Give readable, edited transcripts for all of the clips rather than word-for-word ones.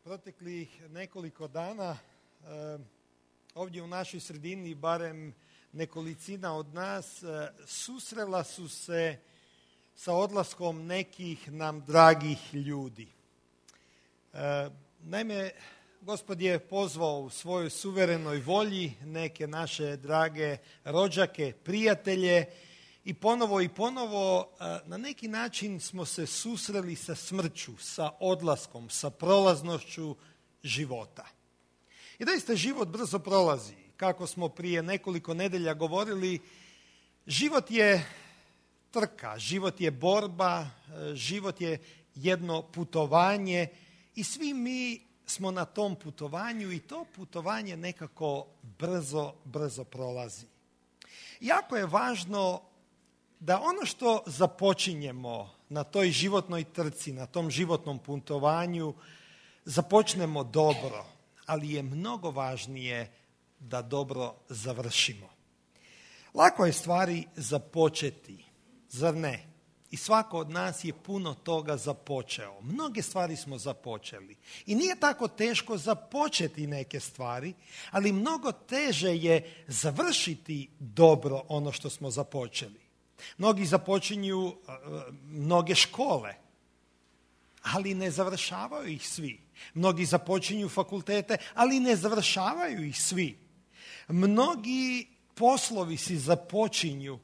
Proteklih nekoliko dana ovdje u našoj sredini, barem nekolicina od nas, susrela su se sa odlaskom nekih nam dragih ljudi. Naime, Gospod je pozvao u svojoj suverenoj volji neke naše drage rođake, prijatelje i ponovo na neki način smo se susreli sa smrću, sa odlaskom, sa prolaznošću života. I doista život brzo prolazi. Kako smo prije nekoliko nedelja govorili, život je trka, život je borba, život je jedno putovanje i svi mi smo na tom putovanju i to putovanje nekako brzo prolazi. Jako je važno da ono što započinjemo na toj životnoj trci, na tom životnom putovanju, započnemo dobro, ali je mnogo važnije da dobro završimo. Lako je stvari započeti, zar ne? I svako od nas je puno toga započeo. Mnoge stvari smo započeli. I nije tako teško započeti neke stvari, ali mnogo teže je završiti dobro ono što smo započeli. Mnogi započinju mnoge škole, ali ne završavaju ih svi. Mnogi započinju fakultete, ali ne završavaju ih svi. Mnogi poslovi si započinju,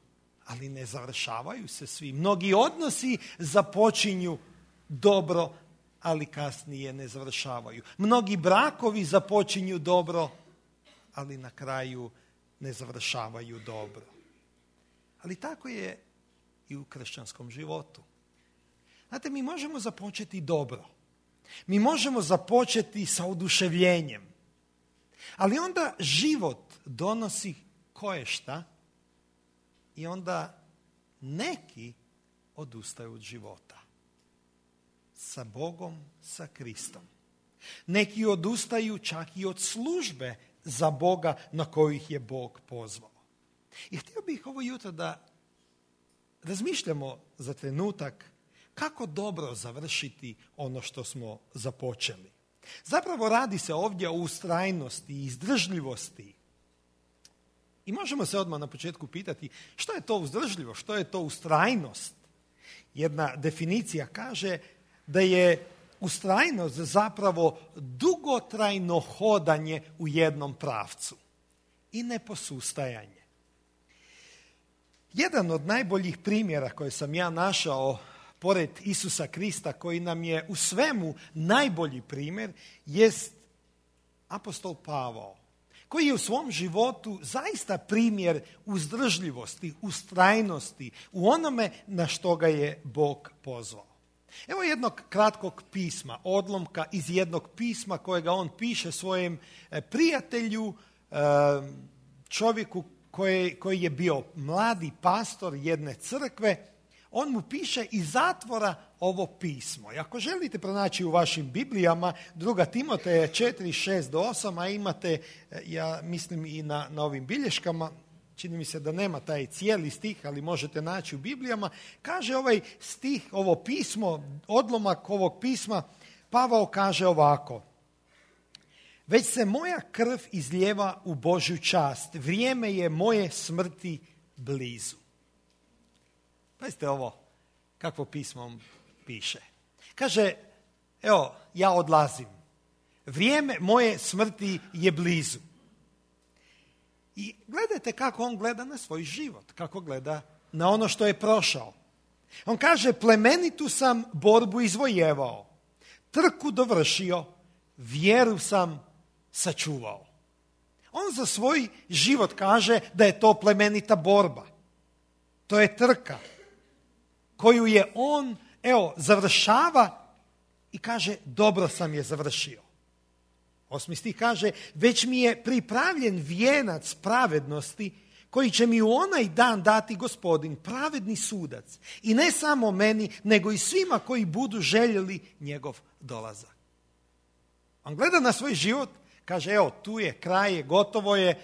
ali ne završavaju se svi. Mnogi odnosi započinju dobro, ali kasnije ne završavaju. Mnogi brakovi započinju dobro, ali na kraju ne završavaju dobro. Ali tako je i u kršćanskom životu. Znate, mi možemo započeti dobro. Mi možemo započeti sa oduševljenjem. Ali onda život donosi koješta i onda neki odustaju od života. Sa Bogom, sa Kristom. Neki odustaju čak i od službe za Boga na koju ih je Bog pozvao. I htio bih ovo jutro da razmišljamo za trenutak kako dobro završiti ono što smo započeli. Zapravo radi se ovdje o ustrajnosti i izdržljivosti. I možemo se odmah na početku pitati što je to uzdržljivo, što je to ustrajnost. Jedna definicija kaže da je ustrajnost zapravo dugotrajno hodanje u jednom pravcu i neposustajanje. Jedan od najboljih primjera koje sam ja našao pored Isusa Krista, koji nam je u svemu najbolji primjer, jest apostol Pavao, koji je u svom životu zaista primjer uzdržljivosti, ustrajnosti u onome na što ga je Bog pozvao. Evo jednog kratkog pisma, odlomka iz jednog pisma kojega on piše svojem prijatelju, čovjeku koji je bio mladi pastor jedne crkve. On mu piše iz zatvora ovo pismo. I ako želite pronaći u vašim Biblijama 2. Timoteja 4, 6 do 8, a imate, ja mislim i na ovim bilješkama, čini mi se da nema taj cijeli stih, ali možete naći u Biblijama, kaže ovaj stih, ovo pismo, odlomak ovog pisma, Pavao kaže ovako: već se moja krv izlijeva u Božju čast, vrijeme je moje smrti blizu. Pazite ovo, kakvo pismo on piše. Kaže, evo, ja odlazim. Vrijeme moje smrti je blizu. I gledajte kako on gleda na svoj život, kako gleda na ono što je prošao. On kaže, plemenitu sam borbu izvojevao, trku dovršio, vjeru sam sačuvao. On za svoj život kaže da je to plemenita borba. To je trka koju je on, završava i kaže, dobro sam je završio. 8. stih kaže, već mi je pripravljen vijenac pravednosti koji će mi u onaj dan dati Gospodin, pravedni sudac. I ne samo meni, nego i svima koji budu željeli njegov dolazak. On gleda na svoj život, kaže, evo, tu je, kraj je, gotovo je,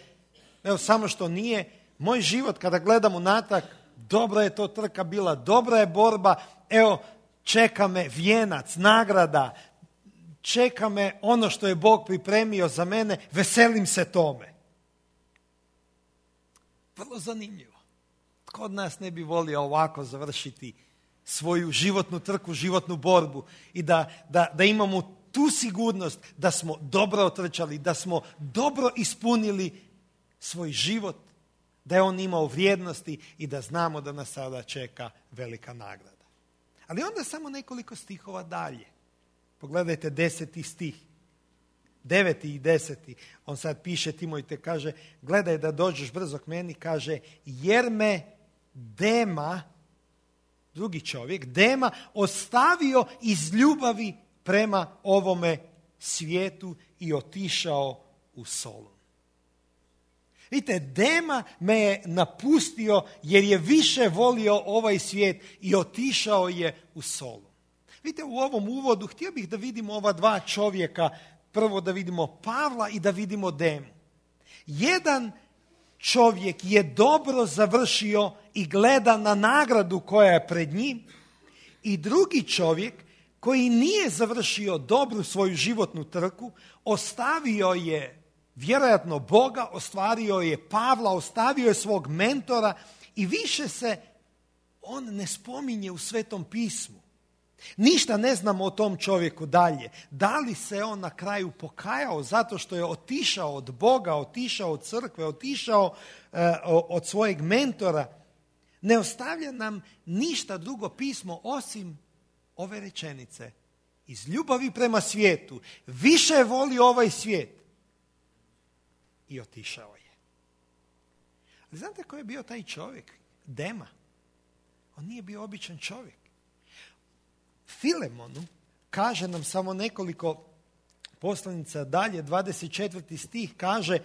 evo, samo što nije. Moj život, kada gledam unatrag, dobra je to trka bila, dobra je borba, evo, čeka me vijenac, nagrada, čeka me ono što je Bog pripremio za mene, veselim se tome. Vrlo zanimljivo. Tko od nas ne bi volio ovako završiti svoju životnu trku, životnu borbu i da imamo tu sigurnost da smo dobro otrčali, da smo dobro ispunili svoj život, da je on imao vrijednosti i da znamo da nas sada čeka velika nagrada. Ali onda samo nekoliko stihova dalje. Pogledajte 10. stih. 9. i 10. On sad piše Timojte, kaže, gledaj da dođeš brzo k meni, kaže, jer me Dema, drugi čovjek, Dema, ostavio iz ljubavi prema ovome svijetu i otišao u Solun. Vidite, Dema me je napustio jer je više volio ovaj svijet i otišao je u Solun. Vidite, u ovom uvodu htio bih da vidimo ova dva čovjeka, prvo da vidimo Pavla i da vidimo Demu. Jedan čovjek je dobro završio i gleda na nagradu koja je pred njim i drugi čovjek koji nije završio dobru svoju životnu trku, ostavio je vjerojatno Boga, ostvario je Pavla, ostavio je svog mentora i više se on ne spominje u Svetom pismu. Ništa ne znamo o tom čovjeku dalje. Da li se on na kraju pokajao zato što je otišao od Boga, otišao od crkve, otišao od svojeg mentora? Ne ostavlja nam ništa drugo pismo osim ove rečenice. Iz ljubavi prema svijetu više je volio ovaj svijet i otišao je. Ali znate ko je bio taj čovjek? Dema. On nije bio običan čovjek. Filemonu kaže nam samo nekoliko poslanica dalje, 24. stih kaže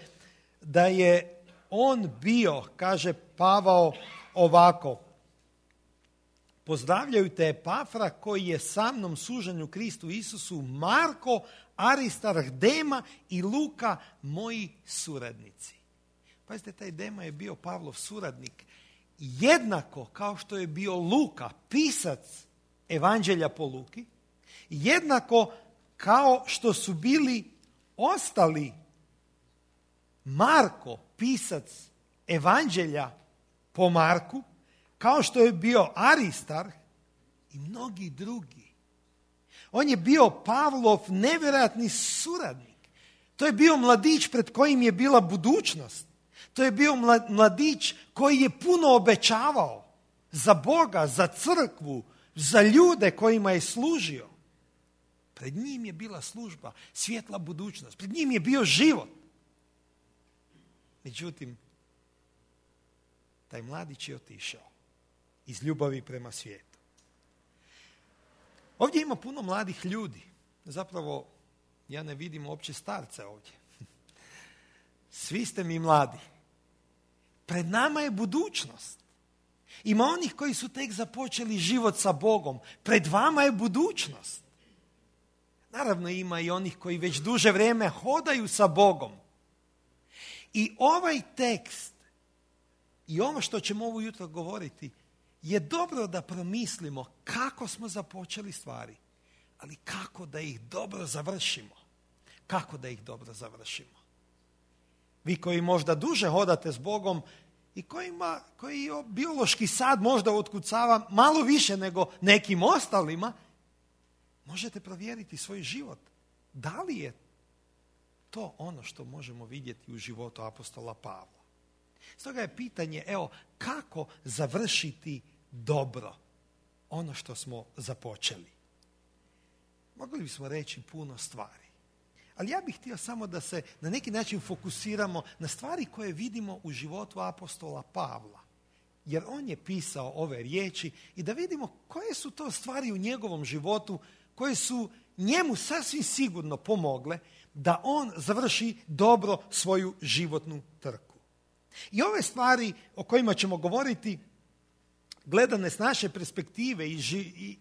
da je on bio, kaže Pavao ovako, pozdravljaju te Epafra koji je sa mnom sužen Kristu Isusu, Marko, Aristarh, Dema i Luka, moji suradnici. Pazite, taj Dema je bio Pavlov suradnik, jednako kao što je bio Luka, pisac Evanđelja po Luki, jednako kao što su bili ostali Marko, pisac Evanđelja po Marku, kao što je bio Aristarh i mnogi drugi. On je bio Pavlov nevjerojatni suradnik. To je bio mladić pred kojim je bila budućnost. To je bio mladić koji je puno obećavao za Boga, za crkvu, za ljude kojima je služio. Pred njim je bila služba, svjetla budućnost. Pred njim je bio život. Međutim, taj mladić je otišao iz ljubavi prema svijetu. Ovdje ima puno mladih ljudi. Zapravo, ja ne vidim uopće starce ovdje. Svi ste mi mladi. Pred nama je budućnost. Ima onih koji su tek započeli život sa Bogom. Pred vama je budućnost. Naravno ima i onih koji već duže vrijeme hodaju sa Bogom. I ovaj tekst i ovo što ćemo ovo jutro govoriti je dobro da promislimo kako smo započeli stvari, ali kako da ih dobro završimo. Kako da ih dobro završimo. Vi koji možda duže hodate s Bogom i koji biološki sad možda otkucava malo više nego nekim ostalima, možete provjeriti svoj život. Da li je to ono što možemo vidjeti u životu apostola Pavla? Stoga je pitanje, kako završiti dobro ono što smo započeli? Mogli bismo reći puno stvari. Ali ja bih htio samo da se na neki način fokusiramo na stvari koje vidimo u životu apostola Pavla. Jer on je pisao ove riječi i da vidimo koje su to stvari u njegovom životu koje su njemu sasvim sigurno pomogle da on završi dobro svoju životnu trku. I ove stvari o kojima ćemo govoriti, gledane s naše perspektive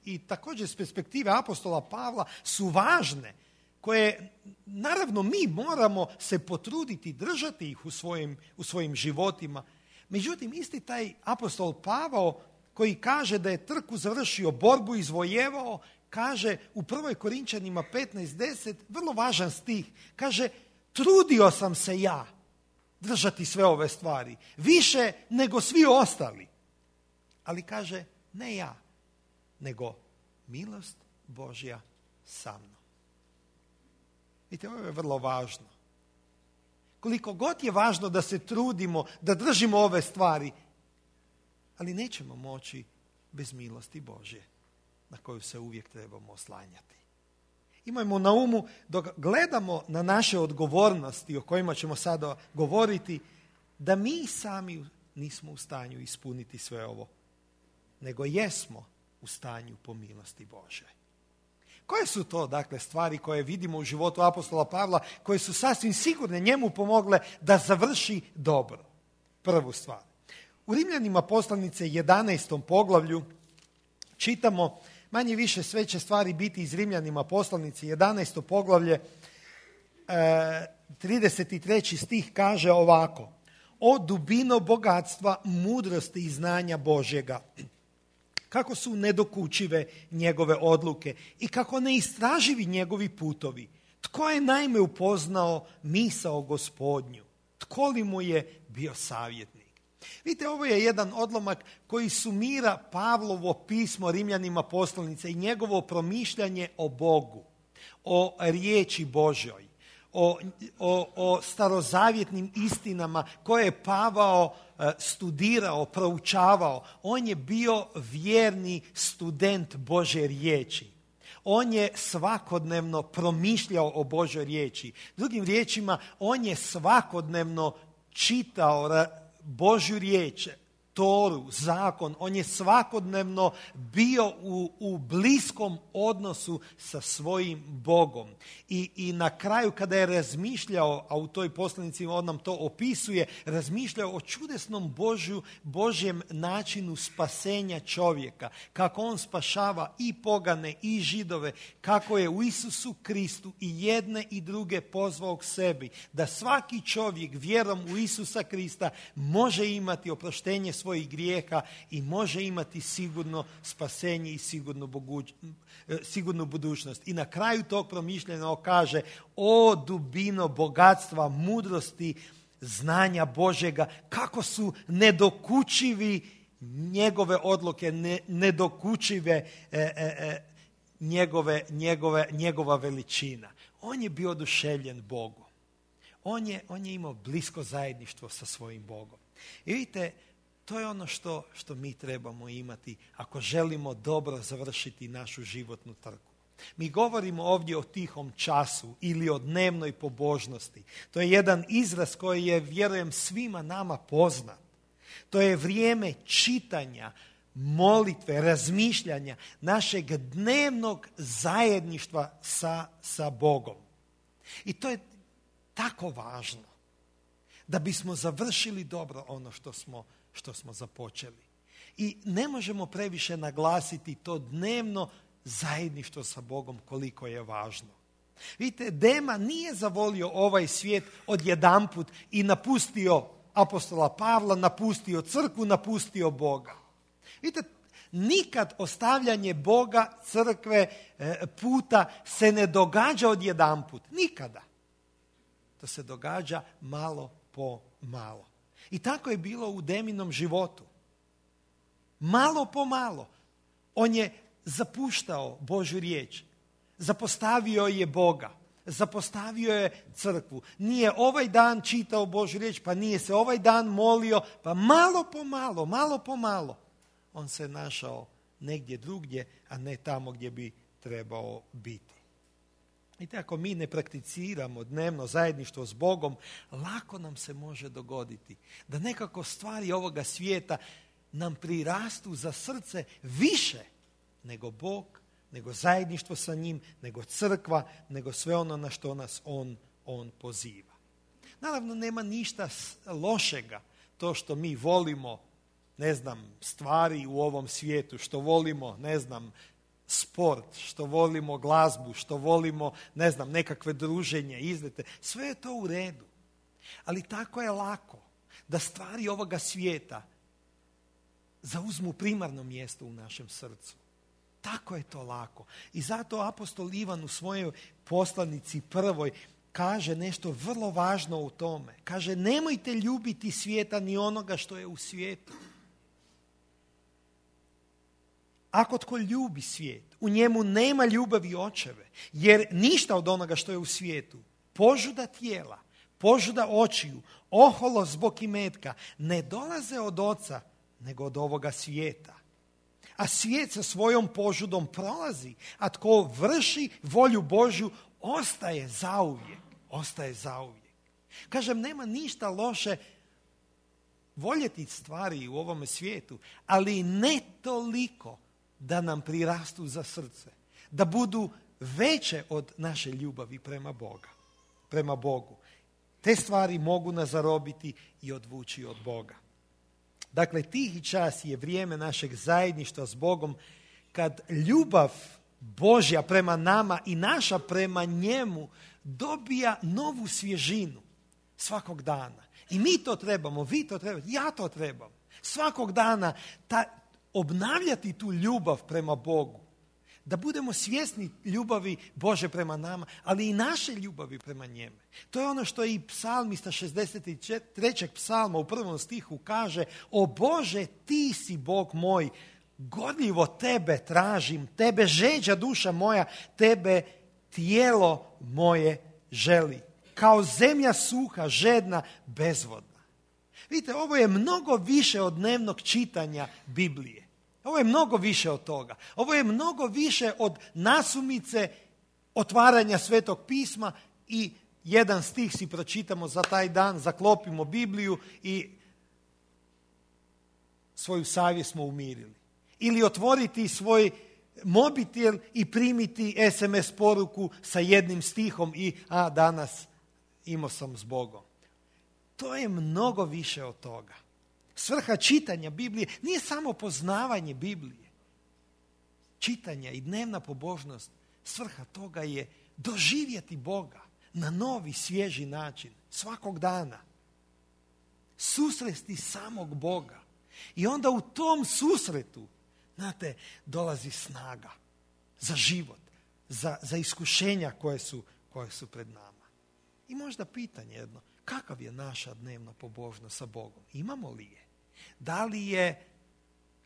i također s perspektive apostola Pavla, su važne, koje naravno mi moramo se potruditi držati ih u svojim životima. Međutim, isti taj apostol Pavao koji kaže da je trku završio, borbu izvojevao, kaže u 1. Korinčanima 15:10, vrlo važan stih, kaže trudio sam se ja držati sve ove stvari, više nego svi ostali. Ali kaže, ne ja, nego milost Božja sa mnom. Vidite, ovo je vrlo važno. Koliko god je važno da se trudimo, da držimo ove stvari, ali nećemo moći bez milosti Božje, na koju se uvijek trebamo oslanjati. Imajmo na umu, dok gledamo na naše odgovornosti o kojima ćemo sada govoriti, da mi sami nismo u stanju ispuniti sve ovo, nego jesmo u stanju po milosti Božje. Koje su to, dakle, stvari koje vidimo u životu apostola Pavla, koje su sasvim sigurne njemu pomogle da završi dobro? Prvu stvar. U Rimljanima poslanice 11. poglavlju čitamo, manje više sve će stvari biti iz Rimljanima poslanice 11. poglavlje, 33. stih kaže ovako: o dubino bogatstva, mudrosti i znanja Božjega, kako su nedokučive njegove odluke i kako neistraživi njegovi putovi. Tko je naime upoznao misao Gospodnju? Tko li mu je bio savjetnik? Vidite, ovo je jedan odlomak koji sumira Pavlovo pismo Rimljanima poslanice i njegovo promišljanje o Bogu, o riječi Božjoj, o starozavjetnim istinama koje je Pavao studirao, proučavao. On je bio vjerni student Božje riječi. On je svakodnevno promišljao o Božjoj riječi. Drugim riječima, on je svakodnevno čitao Božju riječ, Toru, zakon. On je svakodnevno bio u bliskom odnosu sa svojim Bogom. I na kraju kada je razmišljao, a u toj poslanici on nam to opisuje, razmišljao o čudesnom Božjem načinu spasenja čovjeka. Kako on spašava i pogane i Židove, kako je u Isusu Kristu i jedne i druge pozvao k sebi. Da svaki čovjek vjerom u Isusa Krista može imati oproštenje svojih grijeha i može imati sigurno spasenje i sigurnu budućnost. I na kraju tog promišljanja on kaže: o dubino bogatstva, mudrosti, znanja Božjega, kako su nedokučivi njegove odluke, nedokučive njegova veličina. On je bio oduševljen Bogom. On je imao blisko zajedništvo sa svojim Bogom. I vidite, to je ono što mi trebamo imati ako želimo dobro završiti našu životnu trku. Mi govorimo ovdje o tihom času ili o dnevnoj pobožnosti. To je jedan izraz koji je, vjerujem, svima nama poznat. To je vrijeme čitanja, molitve, razmišljanja, našeg dnevnog zajedništva sa Bogom. I to je tako važno da bismo završili dobro ono što smo započeli. I ne možemo previše naglasiti to dnevno zajedništvo sa Bogom koliko je važno. Vidite, Dema nije zavolio ovaj svijet odjedanput i napustio apostola Pavla, napustio crkvu, napustio Boga. Vidite, nikad ostavljanje Boga, crkve, puta se ne događa odjedanput. Nikada. To se događa malo po malo. I tako je bilo u Deminom životu. Malo po malo. On je zapuštao Božju riječ. Zapostavio je Boga. Zapostavio je crkvu. Nije ovaj dan čitao Božju riječ, pa nije se ovaj dan molio, pa malo po malo. On se našao negdje drugdje, a ne tamo gdje bi trebao biti. I ako mi ne prakticiramo dnevno zajedništvo s Bogom, lako nam se može dogoditi da nekako stvari ovoga svijeta nam prirastu za srce više nego Bog, nego zajedništvo sa njim, nego crkva, nego sve ono na što nas on poziva. Naravno, nema ništa lošega to što mi volimo, stvari u ovom svijetu, što volimo, sport, što volimo glazbu, što volimo, nekakve druženje, izlete. Sve je to u redu. Ali tako je lako da stvari ovoga svijeta zauzmu primarno mjesto u našem srcu. Tako je to lako. I zato apostol Ivan u svojoj poslanici prvoj kaže nešto vrlo važno u tome. Kaže, nemojte ljubiti svijeta ni onoga što je u svijetu. Ako tko ljubi svijet, u njemu nema ljubavi očeve, jer ništa od onoga što je u svijetu, požuda tijela, požuda očiju, oholost zbog imetka, ne dolaze od oca, nego od ovoga svijeta. A svijet sa svojom požudom prolazi, a tko vrši volju Božju ostaje zauvijek. Ostaje zauvijek. Kažem, nema ništa loše voljeti stvari u ovome svijetu, ali ne toliko da nam prirastu za srce, da budu veće od naše ljubavi prema Bogu. Te stvari mogu nas zarobiti i odvući od Boga. Dakle, tihi čas je vrijeme našeg zajedništva s Bogom, kad ljubav Božja prema nama i naša prema njemu dobija novu svježinu svakog dana. I mi to trebamo, vi to trebate, ja to trebam. Svakog dana obnavljati tu ljubav prema Bogu. Da budemo svjesni ljubavi Bože prema nama, ali i naše ljubavi prema njemu. To je ono što i psalmista 63. psalma u 1. stihu kaže: O Bože, ti si Bog moj, gorljivo tebe tražim, tebe žeđa duša moja, tebe tijelo moje želi. Kao zemlja suha, žedna, bezvodna. Vidite, ovo je mnogo više od dnevnog čitanja Biblije. Ovo je mnogo više od toga. Ovo je mnogo više od nasumice otvaranja Svetog pisma i jedan stih si pročitamo za taj dan, zaklopimo Bibliju i svoju savjest smo umirili. Ili otvoriti svoj mobitel i primiti SMS poruku sa jednim stihom i danas imao sam s Bogom. To je mnogo više od toga. Svrha čitanja Biblije nije samo poznavanje Biblije. Čitanje i dnevna pobožnost, svrha toga je doživjeti Boga na novi, svježi način, svakog dana. Susresti samog Boga. I onda u tom susretu, znate, dolazi snaga za život, za iskušenja koje su pred nama. I možda pitanje jedno, kakav je naša dnevna pobožnost sa Bogom? Imamo li je? Da li je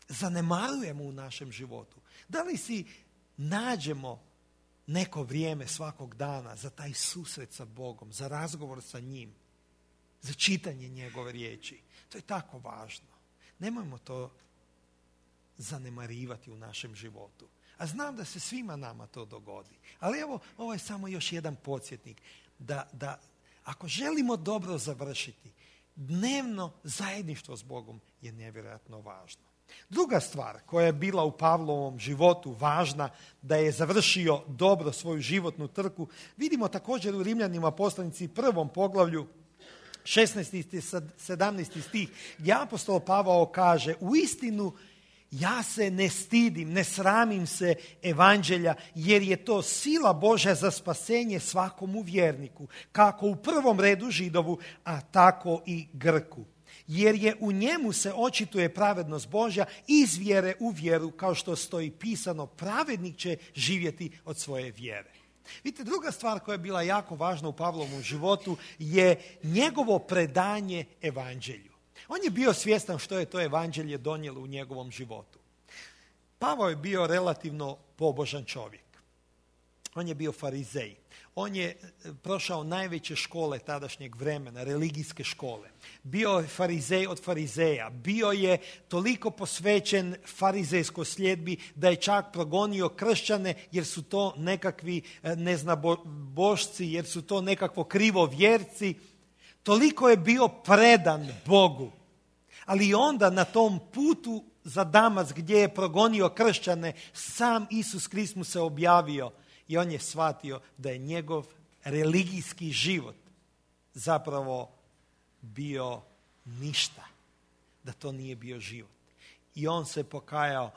zanemarujemo u našem životu? Da li si nađemo neko vrijeme svakog dana za taj susret sa Bogom, za razgovor sa njim, za čitanje njegove riječi? To je tako važno. Nemojmo to zanemarivati u našem životu. A znam da se svima nama to dogodi. Ali evo, ovo je samo još jedan podsjetnik da ako želimo dobro završiti, dnevno zajedništvo s Bogom je nevjerojatno važno. Druga stvar koja je bila u Pavlovom životu važna, da je završio dobro svoju životnu trku, vidimo također u Rimljanima poslanici 1. poglavlju 16. i 17. stih, gdje apostol Pavao kaže: uistinu ja se ne stidim, ne sramim se evanđelja, jer je to sila Božja za spasenje svakomu vjerniku, kako u prvom redu Židovu, a tako i Grku. Jer je u njemu se očituje pravednost Božja iz vjere u vjeru, kao što stoji pisano, pravednik će živjeti od svoje vjere. Vidite, druga stvar koja je bila jako važna u Pavlovom životu je njegovo predanje evanđelju. On je bio svjestan što je to evanđelje donijelo u njegovom životu. Pavao je bio relativno pobožan čovjek. On je bio farizej. On je prošao najveće škole tadašnjeg vremena, religijske škole. Bio je farizej od farizeja. Bio je toliko posvećen farizejskoj sljedbi da je čak progonio kršćane jer su to nekakvi neznabošci, jer su to nekakvo krivovjerci. Toliko je bio predan Bogu. Ali onda na tom putu za Damask gdje je progonio kršćane, sam Isus Krist mu se objavio i on je shvatio da je njegov religijski život zapravo bio ništa, da to nije bio život. I on se pokajao,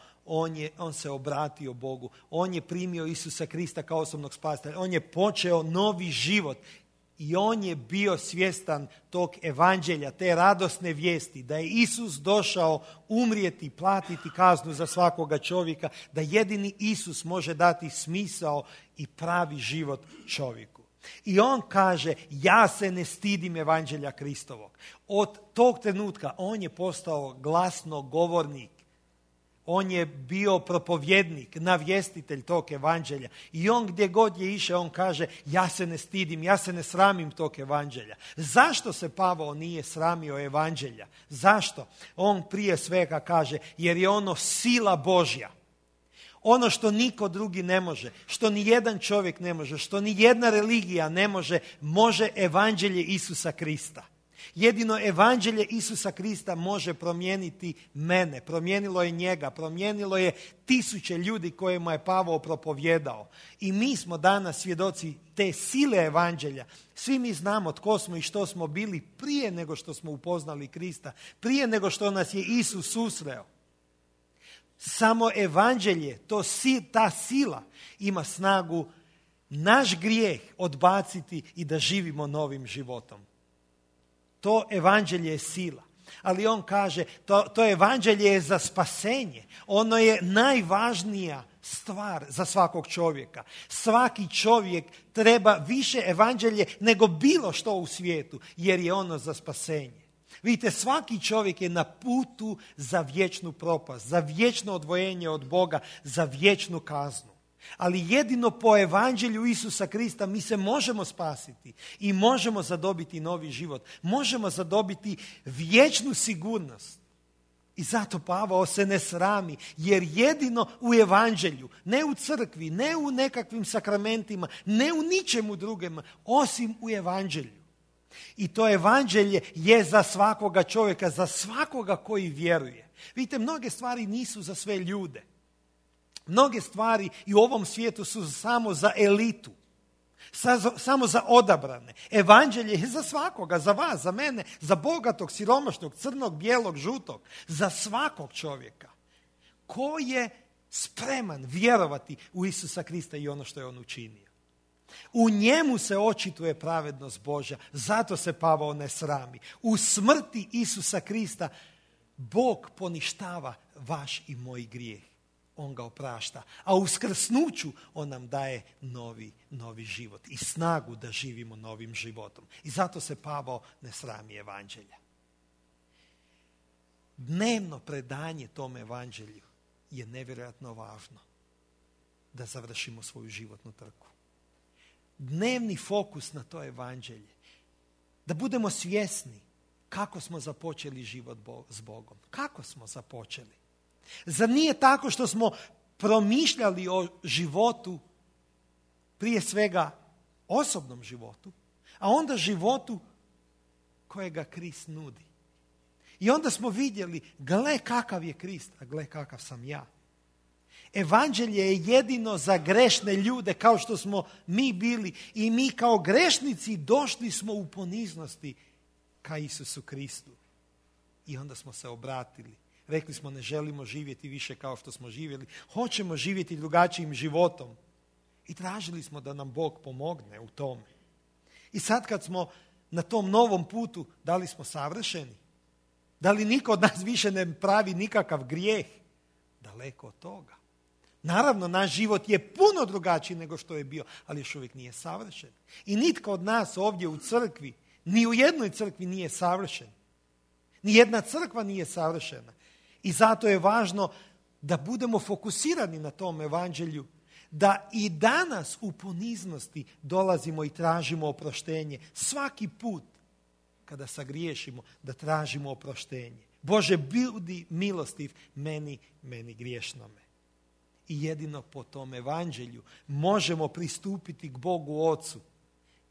on se obratio Bogu, on je primio Isusa Krista kao osobnog spasitelja, on je počeo novi život I on je bio svjestan tog evanđelja, te radosne vijesti, da je Isus došao umrijeti, platiti kaznu za svakoga čovjeka, da jedini Isus može dati smisao i pravi život čovjeku. I on kaže, ja se ne stidim evanđelja Kristovog. Od tog trenutka on je postao glasnogovornik. On je bio propovjednik, navjestitelj tog evanđelja. I on gdje god je išao, on kaže, ja se ne stidim, ja se ne sramim tog evanđelja. Zašto se Pavao nije sramio evanđelja? Zašto? On prije svega kaže, jer je ono sila Božja. Ono što niko drugi ne može, što ni jedan čovjek ne može, što ni jedna religija ne može, može evanđelje Isusa Krista. Jedino evanđelje Isusa Krista može promijeniti mene, promijenilo je njega, promijenilo je tisuće ljudi kojima je Pavao propovjedao. I mi smo danas svjedoci te sile evanđelja. Svi mi znamo tko smo i što smo bili prije nego što smo upoznali Krista, prije nego što nas je Isus susreo. Samo evanđelje, ta sila ima snagu naš grijeh odbaciti i da živimo novim životom. To evanđelje je sila. Ali on kaže, to evanđelje je za spasenje. Ono je najvažnija stvar za svakog čovjeka. Svaki čovjek treba više evanđelje nego bilo što u svijetu, jer je ono za spasenje. Vidite, svaki čovjek je na putu za vječnu propast, za vječno odvojenje od Boga, za vječnu kaznu. Ali jedino po evanđelju Isusa Krista mi se možemo spasiti i možemo zadobiti novi život. Možemo zadobiti vječnu sigurnost. I zato Pavao se ne srami, jer jedino u evanđelju, ne u crkvi, ne u nekakvim sakramentima, ne u ničemu drugom, osim u evanđelju. I to evanđelje je za svakoga čovjeka, za svakoga koji vjeruje. Vidite, mnoge stvari nisu za sve ljude. Mnoge stvari i u ovom svijetu su samo za elitu, samo za odabrane. Evanđelje je za svakoga, za vas, za mene, za bogatog, siromašnog, crnog, bijelog, žutog, za svakog čovjeka. Ko je spreman vjerovati u Isusa Krista i ono što je on učinio? U njemu se očituje pravednost Božja, zato se Pavao ne srami. U smrti Isusa Krista Bog poništava vaš i moj grijeh. On ga oprašta. A u skrsnuću on nam daje novi život i snagu da živimo novim životom. I zato se Pavao ne srami evanđelja. Dnevno predanje tom evanđelju je nevjerojatno važno da završimo svoju životnu trku. Dnevni fokus na to evanđelje. Da budemo svjesni kako smo započeli život s Bogom. Kako smo započeli? Zar nije tako što smo promišljali o životu, prije svega osobnom životu, a onda životu kojega Krist nudi? I onda smo vidjeli, gle kakav je Krist, a gle kakav sam ja. Evanđelje je jedino za grešne ljude kao što smo mi bili i mi kao grešnici došli smo u poniznosti ka Isusu Kristu. I onda smo se obratili. Rekli smo, ne želimo živjeti više kao što smo živjeli. Hoćemo živjeti drugačijim životom. I tražili smo da nam Bog pomogne u tome. I sad kad smo na tom novom putu, da li smo savršeni? Da li niko od nas više ne pravi nikakav grijeh? Daleko od toga. Naravno, naš život je puno drugačiji nego što je bio, ali još uvijek nije savršen. I nitko od nas ovdje u crkvi, ni u jednoj crkvi nije savršen. Ni jedna crkva nije savršena. I zato je važno da budemo fokusirani na tom evanđelju, da i danas u poniznosti dolazimo i tražimo oproštenje. Svaki put kada sagriješimo, da tražimo oproštenje. Bože, budi milostiv meni griješnome. I jedino po tom evanđelju možemo pristupiti k Bogu Ocu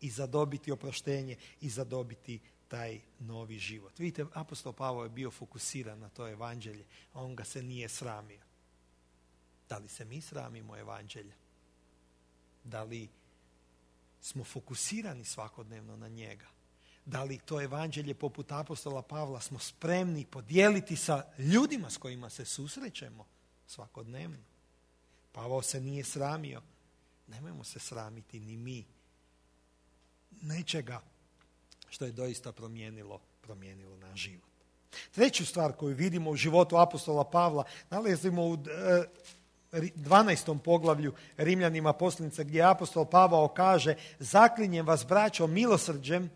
i zadobiti oproštenje i zadobiti taj novi život. Vidite, apostol Pavao je bio fokusiran na to evanđelje, a on ga se nije sramio. Da li se mi sramimo evanđelja? Da li smo fokusirani svakodnevno na njega? Da li to evanđelje poput apostola Pavla smo spremni podijeliti sa ljudima s kojima se susrećemo svakodnevno? Pavao se nije sramio. Nemojmo se sramiti ni mi. nečega što je doista promijenilo naš život. Treću stvar koju vidimo u životu apostola Pavla nalazimo u 12. poglavlju Rimljanima poslanice, gdje apostol Pavao kaže: zaklinjem vas, braćo, milosrđem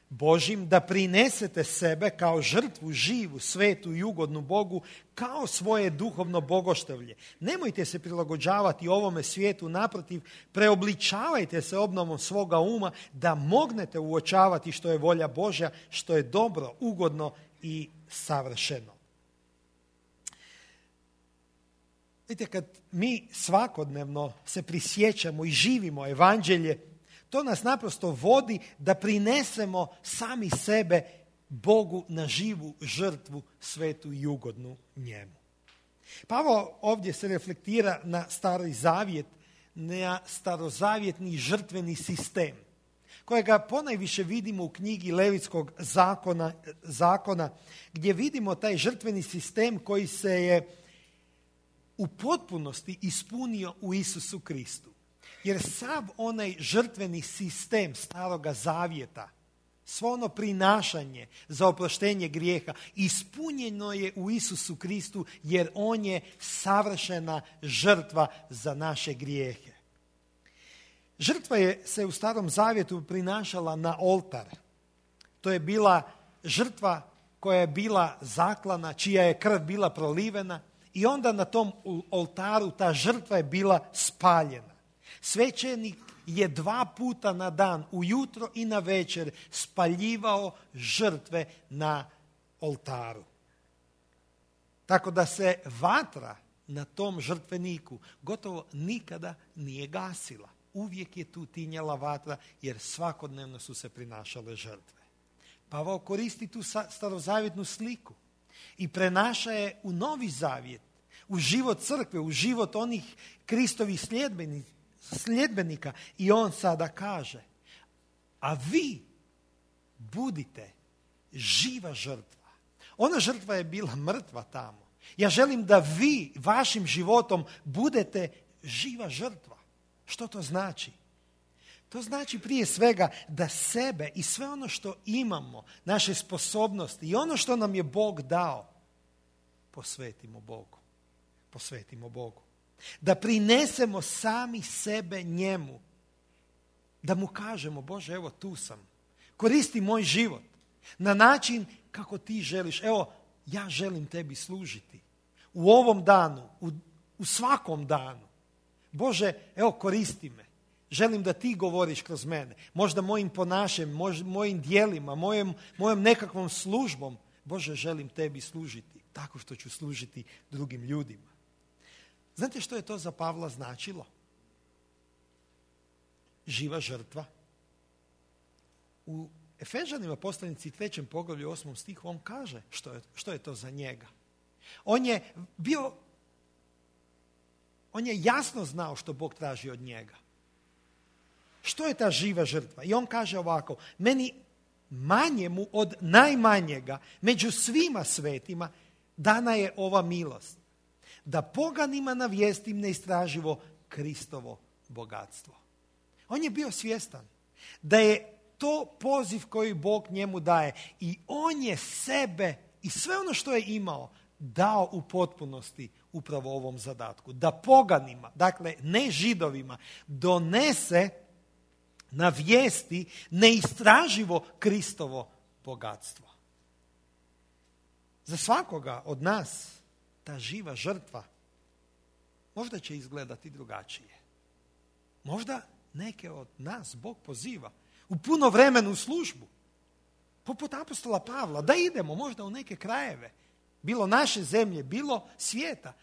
Božim, da prinesete sebe kao žrtvu živu, svetu i ugodnu Bogu, kao svoje duhovno bogoštevlje. Nemojte se prilagođavati ovome svijetu, naprotiv, preobličavajte se obnovom svoga uma, da mognete uočavati što je volja Božja, što je dobro, ugodno i savršeno. Vidite, kad mi svakodnevno se prisjećamo i živimo evanđelje, to nas naprosto vodi da prinesemo sami sebe Bogu na živu žrtvu, svetu i ugodnu njemu. Pavao ovdje se reflektira na Stari Zavjet, na starozavjetni žrtveni sistem, kojega ponajviše vidimo u knjigi Levitskog zakona, gdje vidimo taj žrtveni sistem koji se je u potpunosti ispunio u Isusu Kristu. Jer sav onaj žrtveni sistem Staroga Zavjeta, svo ono prinašanje za oproštenje grijeha, ispunjeno je u Isusu Kristu, jer on je savršena žrtva za naše grijehe. Žrtva se u Starom Zavjetu prinašala na oltar. To je bila žrtva koja je bila zaklana, čija je krv bila prolivena, i onda na tom oltaru ta žrtva je bila spaljena. Svećenik je 2 puta na dan, ujutro i na večer, spaljivao žrtve na oltaru. Tako da se vatra na tom žrtveniku gotovo nikada nije gasila. Uvijek je tu tinjala vatra, jer svakodnevno su se prinašale žrtve. Pavao koristi tu starozavjetnu sliku i prenaša je u Novi Zavjet, u život crkve, u život onih Kristovih sljedbenika, i on sada kaže: a vi budite živa žrtva. Ona žrtva je bila mrtva tamo. Ja želim da vi vašim životom budete živa žrtva. Što to znači? To znači prije svega da sebe i sve ono što imamo, naše sposobnosti i ono što nam je Bog dao, posvetimo Bogu. Posvetimo Bogu. Da prinesemo sami sebe njemu. Da mu kažemo: Bože, evo tu sam. Koristi moj život na način kako ti želiš. Evo, ja želim tebi služiti. U ovom danu, u svakom danu. Bože, evo, koristi me. Želim da ti govoriš kroz mene. Možda mojim ponašanjem, mojim djelima, mojom nekakvom službom. Bože, želim tebi služiti tako što ću služiti drugim ljudima. Znate što je to za Pavla značilo? Živa žrtva. U Efežanima poslanici 3. poglavlju 8. stihu on kaže što je to za njega. On je jasno znao što Bog traži od njega. Što je ta živa žrtva? I on kaže ovako: meni manjemu od najmanjega među svima svetima dana je ova milost, da poganima navijestim neistraživo Kristovo bogatstvo. On je bio svjestan da je to poziv koji Bog njemu daje, i on je sebe i sve ono što je imao dao u potpunosti upravo ovom zadatku. Da poganima, dakle ne Židovima, donese navijesti neistraživo Kristovo bogatstvo. Za svakoga od nas ta živa žrtva možda će izgledati drugačije. Možda neke od nas Bog poziva u puno vremenu službu, poput apostola Pavla, da idemo možda u neke krajeve, bilo naše zemlje, bilo svijeta,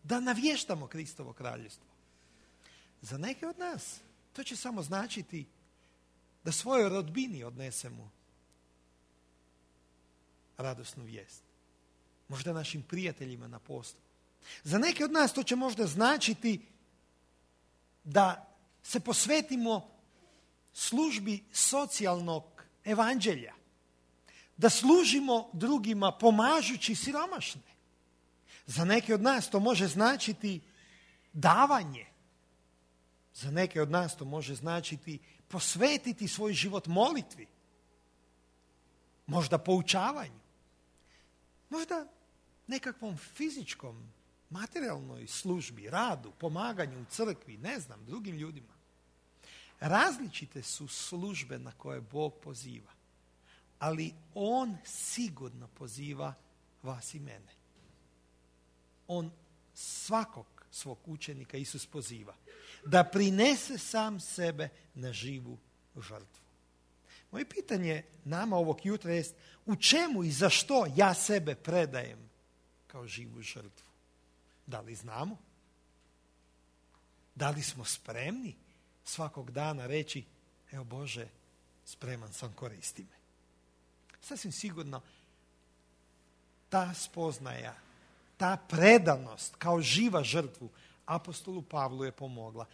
da navještamo Kristovo kraljevstvo. Za neke od nas to će samo značiti da svojoj rodbini odnesemo radosnu vijest. Možda našim prijateljima na poslu. Za neke od nas to će možda značiti da se posvetimo službi socijalnog evanđelja. Da služimo drugima pomažući siromašne. Za neke od nas to može značiti davanje. Za neke od nas to može značiti posvetiti svoj život molitvi, možda poučavanju, možda nekakvom fizičkom, materijalnoj službi, radu, pomaganju u crkvi, ne znam, drugim ljudima. Različite su službe na koje Bog poziva, ali On sigurno poziva vas i mene. On svakog svog učenika Isus poziva da prinese sam sebe na živu žrtvu. Moje pitanje nama ovog jutra jest u čemu i za što ja sebe predajem kao živu žrtvu? Da li znamo? Da li smo spremni svakog dana reći, evo Bože, spreman sam, koristi me. Sasvim sigurno ta spoznaja, ta predanost kao živa žrtvu apostolu Pavlu je pomogla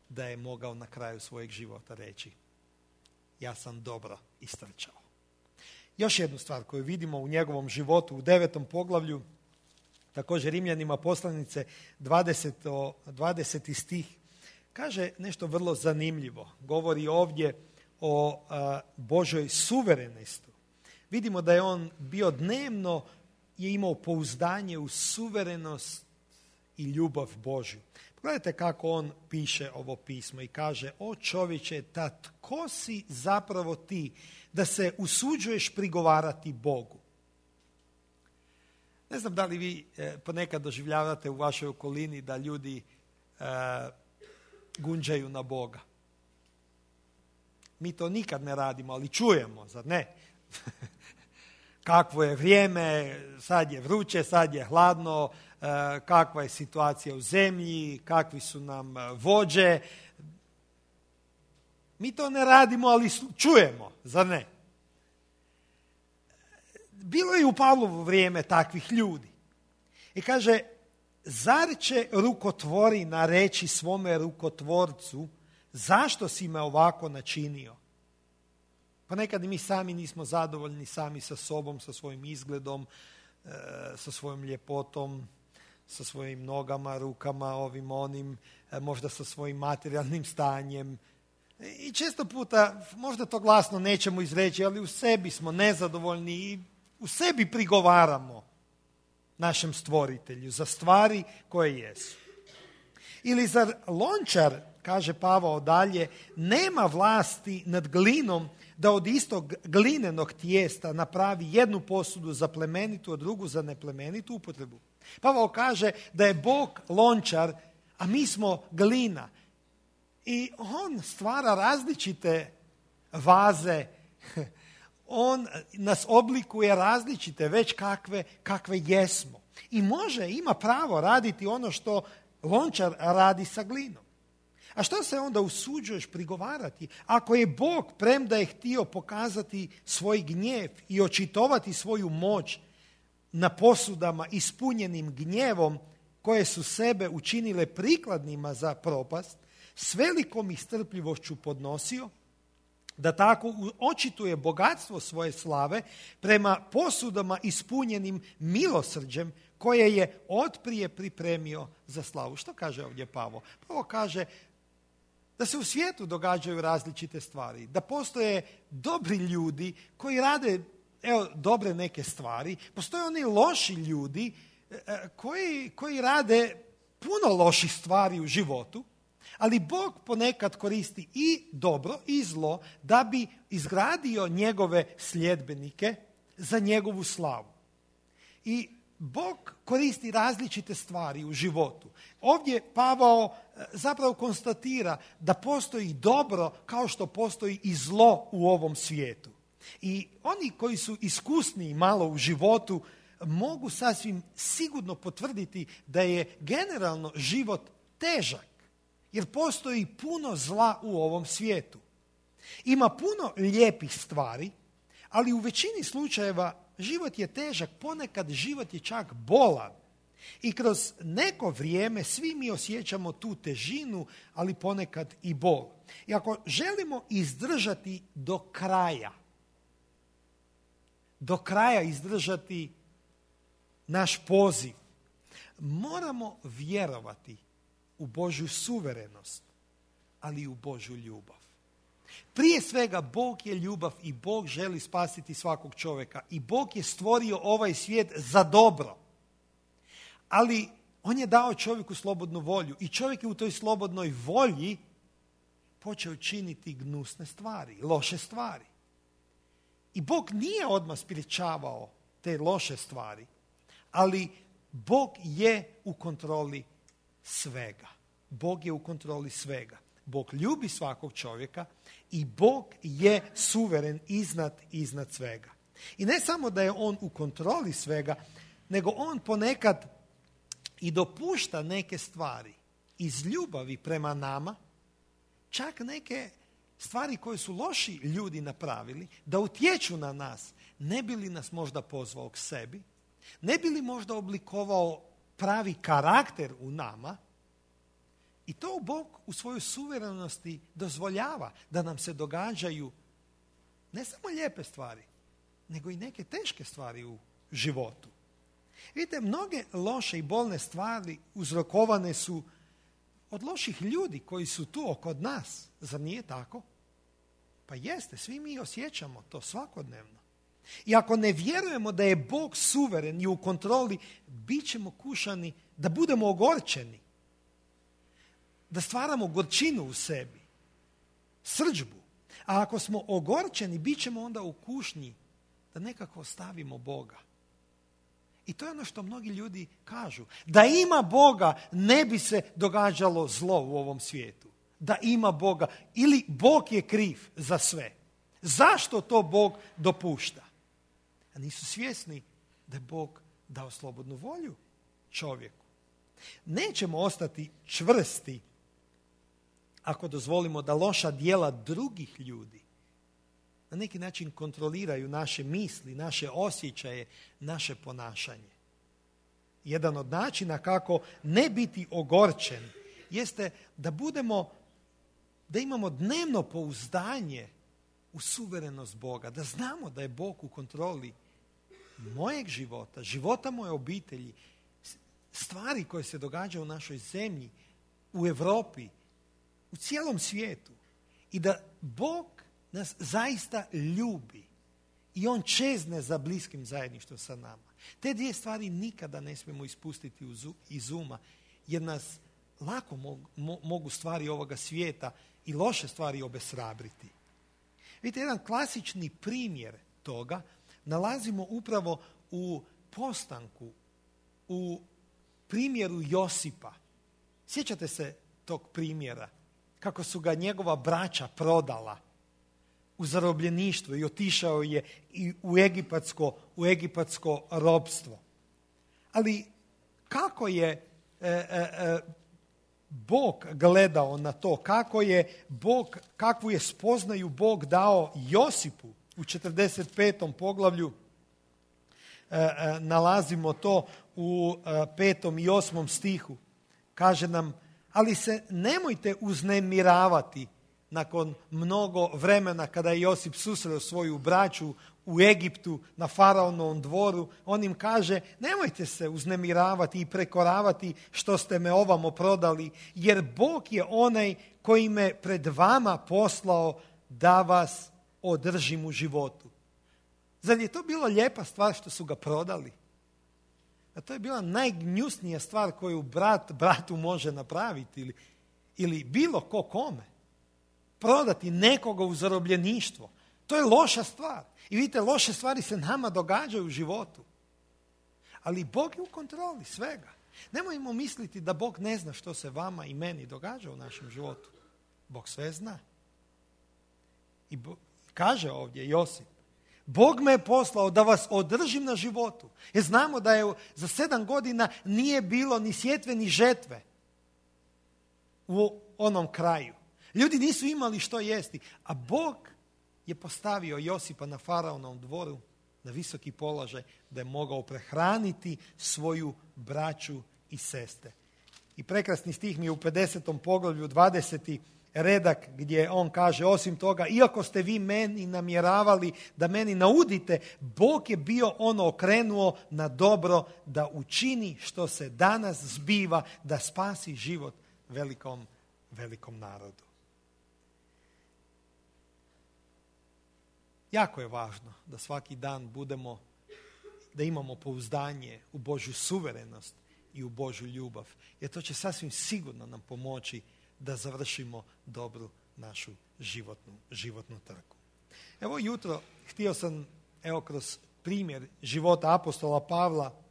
da je mogao na kraju svojeg života reći, ja sam dobro istrčao. Još jednu stvar koju vidimo u njegovom životu u 9. poglavlju, također Rimljanima poslanice 20. stih, kaže nešto vrlo zanimljivo. Govori ovdje o Božoj suverenosti. Vidimo da je on bio dnevno, je imao pouzdanje u suverenost i ljubav Božju. Pogledajte kako on piše ovo pismo i kaže, o čovječe, ta tko si zapravo ti da se usuđuješ prigovarati Bogu? Ne znam da li vi ponekad doživljavate u vašoj okolini da ljudi gunđaju na Boga. Mi to nikad ne radimo, ali čujemo, zar ne? Kakvo je vrijeme, sad je vruće, sad je hladno, kakva je situacija u zemlji, kakvi su nam vođe. Mi to ne radimo, ali čujemo, zar ne? Bilo je u Pavlovo vrijeme takvih ljudi. I kaže, zar će rukotvorina reći svome rukotvorcu, zašto si me ovako načinio? Pa nekad mi sami nismo zadovoljni sami sa sobom, sa svojim izgledom, sa svojom ljepotom, sa svojim nogama, rukama, ovim, onim, možda sa svojim materijalnim stanjem. I često puta, možda to glasno nećemo izreći, ali u sebi smo nezadovoljni i u sebi prigovaramo našem stvoritelju za stvari koje jesu. Ili zar lončar, kaže Pavao dalje, nema vlasti nad glinom da od istog glinenog tijesta napravi jednu posudu za plemenitu, a drugu za neplemenitu upotrebu? Pavao kaže da je Bog lončar, a mi smo glina. I on stvara različite vaze, on nas oblikuje različite, već kakve jesmo. I ima pravo raditi ono što lončar radi sa glinom. A što se onda usuđuješ prigovarati? Ako je Bog, premda je htio pokazati svoj gnjev i očitovati svoju moć na posudama ispunjenim gnjevom koje su sebe učinile prikladnima za propast, s velikom istrpljivošću podnosio, da tako očituje bogatstvo svoje slave prema posudama ispunjenim milosrđem koje je otprije pripremio za slavu. Što kaže ovdje Pavao? Pavao kaže da se u svijetu događaju različite stvari, da postoje dobri ljudi koji rade dobre neke stvari, postoje oni loši ljudi koji rade puno loših stvari u životu, ali Bog ponekad koristi i dobro i zlo da bi izgradio njegove sljedbenike za njegovu slavu. I Bog koristi različite stvari u životu. Ovdje Pavao zapravo konstatira da postoji dobro kao što postoji i zlo u ovom svijetu. I oni koji su iskusniji malo u životu mogu sasvim sigurno potvrditi da je generalno život težak, jer postoji puno zla u ovom svijetu. Ima puno lijepih stvari, ali u većini slučajeva život je težak, ponekad život je čak bolan. I kroz neko vrijeme svi mi osjećamo tu težinu, ali ponekad i bol. I ako želimo izdržati do kraja izdržati naš poziv, moramo vjerovati u Božju suverenost ali i u Božju ljubav. Prije svega, Bog je ljubav i Bog želi spasiti svakog čovjeka. I Bog je stvorio ovaj svijet za dobro. Ali on je dao čovjeku slobodnu volju i čovjek je u toj slobodnoj volji počeo činiti gnusne stvari, loše stvari. I Bog nije odmah sprječavao te loše stvari, ali Bog je u kontroli svega. Bog je u kontroli svega. Bog ljubi svakog čovjeka i Bog je suveren iznad svega. I ne samo da je on u kontroli svega, nego on ponekad i dopušta neke stvari iz ljubavi prema nama, čak neke stvari koje su loši ljudi napravili, da utječu na nas, ne bi li nas možda pozvao k sebi, ne bi li možda oblikovao pravi karakter u nama. I to Bog u svojoj suverenosti dozvoljava da nam se događaju ne samo lijepe stvari, nego i neke teške stvari u životu. Vidite, mnoge loše i bolne stvari uzrokovane su od loših ljudi koji su tu oko nas. Zar nije tako? Pa jeste, svi mi osjećamo to svakodnevno. I ako ne vjerujemo da je Bog suveren i u kontroli, bit ćemo kušani da budemo ogorčeni, da stvaramo gorčinu u sebi, srdžbu. A ako smo ogorčeni, bit ćemo onda u kušnji da nekako ostavimo Boga. I to je ono što mnogi ljudi kažu. Da ima Boga, ne bi se događalo zlo u ovom svijetu. Da ima Boga. Ili Bog je kriv za sve. Zašto to Bog dopušta? A nisu svjesni da je Bog dao slobodnu volju čovjeku. Nećemo ostati čvrsti ako dozvolimo da loša djela drugih ljudi na neki način kontroliraju naše misli, naše osjećaje, naše ponašanje. Jedan od načina kako ne biti ogorčen jeste da imamo dnevno pouzdanje u suverenost Boga, da znamo da je Bog u kontroli mojeg života, života moje obitelji, stvari koje se događaju u našoj zemlji, u Europi, u cijelom svijetu. I da Bog nas zaista ljubi i on čezne za bliskim zajedništvom sa nama. Te dvije stvari nikada ne smijemo ispustiti iz uma, jer nas lako mogu stvari ovoga svijeta i loše stvari obeshrabriti. Vidite, jedan klasični primjer toga nalazimo upravo u postanku, u primjeru Josipa. Sjećate se tog primjera? Kako su ga njegova braća prodala u zarobljeništvo i otišao je i u egipatsko ropstvo. Ali kako je Bog gledao na to, kakvu je spoznaju Bog dao Josipu u 45. poglavlju, nalazimo to u 5. i 8. stihu. Kaže nam, ali se nemojte uznemiravati nakon mnogo vremena kada je Josip susreo svoju braću u Egiptu na faraonovom dvoru. On im kaže, nemojte se uznemiravati i prekoravati što ste me ovamo prodali, jer Bog je onaj koji me pred vama poslao da vas održim u životu. Zar je to bila lijepa stvar što su ga prodali? A to je bila najgnjusnija stvar koju brat bratu može napraviti ili bilo ko kome. Prodati nekoga u zarobljeništvo. To je loša stvar. I vidite, loše stvari se nama događaju u životu. Ali Bog je u kontroli svega. Nemojmo misliti da Bog ne zna što se vama i meni događa u našem životu. Bog sve zna. I kaže ovdje Josip, Bog me je poslao da vas održim na životu. Jer znamo da je za 7 godina nije bilo ni sjetve ni žetve u onom kraju. Ljudi nisu imali što jesti, a Bog je postavio Josipa na faraonovom dvoru na visoki položaj da je mogao prehraniti svoju braću i sestre. I prekrasni stih mi je u 50. poglavlju 20. redak gdje on kaže, osim toga, iako ste vi meni namjeravali da meni naudite, Bog je bio ono okrenuo na dobro da učini što se danas zbiva, da spasi život velikom narodu. jako je važno da svaki dan da imamo pouzdanje u Božju suverenost i u Božju ljubav. Jer to će sasvim sigurno nam pomoći da završimo dobru našu životnu trku. Evo jutro htio sam kroz primjer života apostola Pavla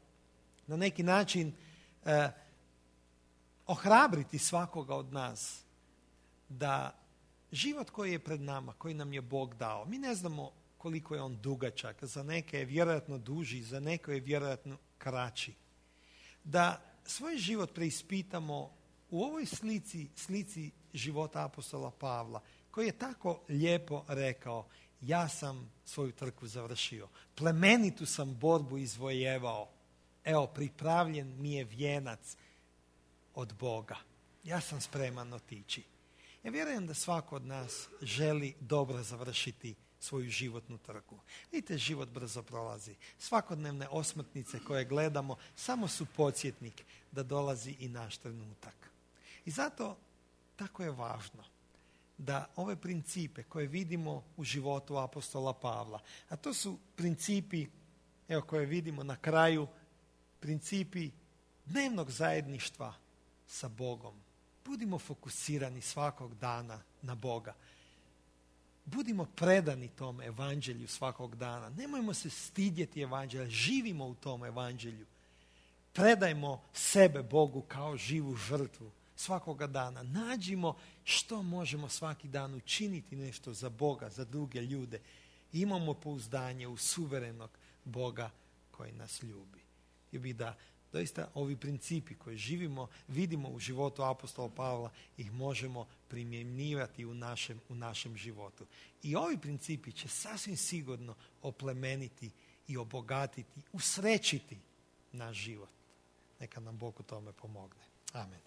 na neki način ohrabriti svakoga od nas da život koji je pred nama, koji nam je Bog dao, mi ne znamo koliko je on dugačak, za neke je vjerojatno duži, za neke je vjerojatno kraći. Da svoj život preispitamo u ovoj slici života apostola Pavla, koji je tako lijepo rekao: ja sam svoju trku završio, plemenitu sam borbu izvojevao, evo pripravljen mi je vijenac od Boga, ja sam spreman otići. Ja vjerujem da svako od nas želi dobro završiti svoju životnu trku. Vidite, život brzo prolazi. Svakodnevne osmrtnice koje gledamo samo su podsjetnik da dolazi i naš trenutak. I zato tako je važno da ove principe koje vidimo u životu apostola Pavla, a to su principi koje vidimo na kraju, principi dnevnog zajedništva sa Bogom. Budimo fokusirani svakog dana na Boga. Budimo predani tom evanđelju svakog dana. Nemojmo se stidjeti evanđelja, živimo u tom evanđelju. Predajmo sebe Bogu kao živu žrtvu svakoga dana. Nađimo što možemo svaki dan učiniti nešto za Boga, za druge ljude. Imamo pouzdanje u suverenog Boga koji nas ljubi. I bi da doista ovi principi koje vidimo u životu apostola Pavla, ih možemo primjenjivati u našem životu. I ovi principi će sasvim sigurno oplemeniti i obogatiti, usrećiti naš život. Neka nam Bog u tome pomogne. Amen.